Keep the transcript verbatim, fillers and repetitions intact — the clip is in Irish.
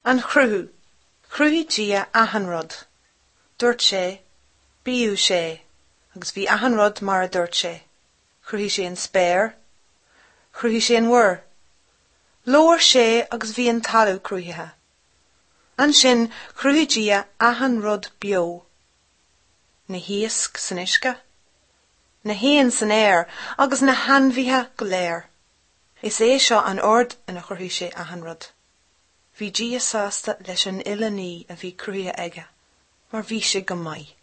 An Chruthú. Chruthaigh Dia achan rud. Dúirt sé, bíodh sé, agus bhí achan rud mar a dúirt sé. Chruthaigh sé an spéir, chruthaigh sé an mhuir. Labhair sé agus bhí an talamh cruthaithe. Ansin chruthaigh Dia achan rud beo. Na hiasc san uisce, na héin san aer agus na hainmhithe go léir. Is é seo an ord ina chruthaigh sé achan rud. Bhí Dia sásta leis an uile ní a bhí cruthaithe aige, mar bhí sé go maith.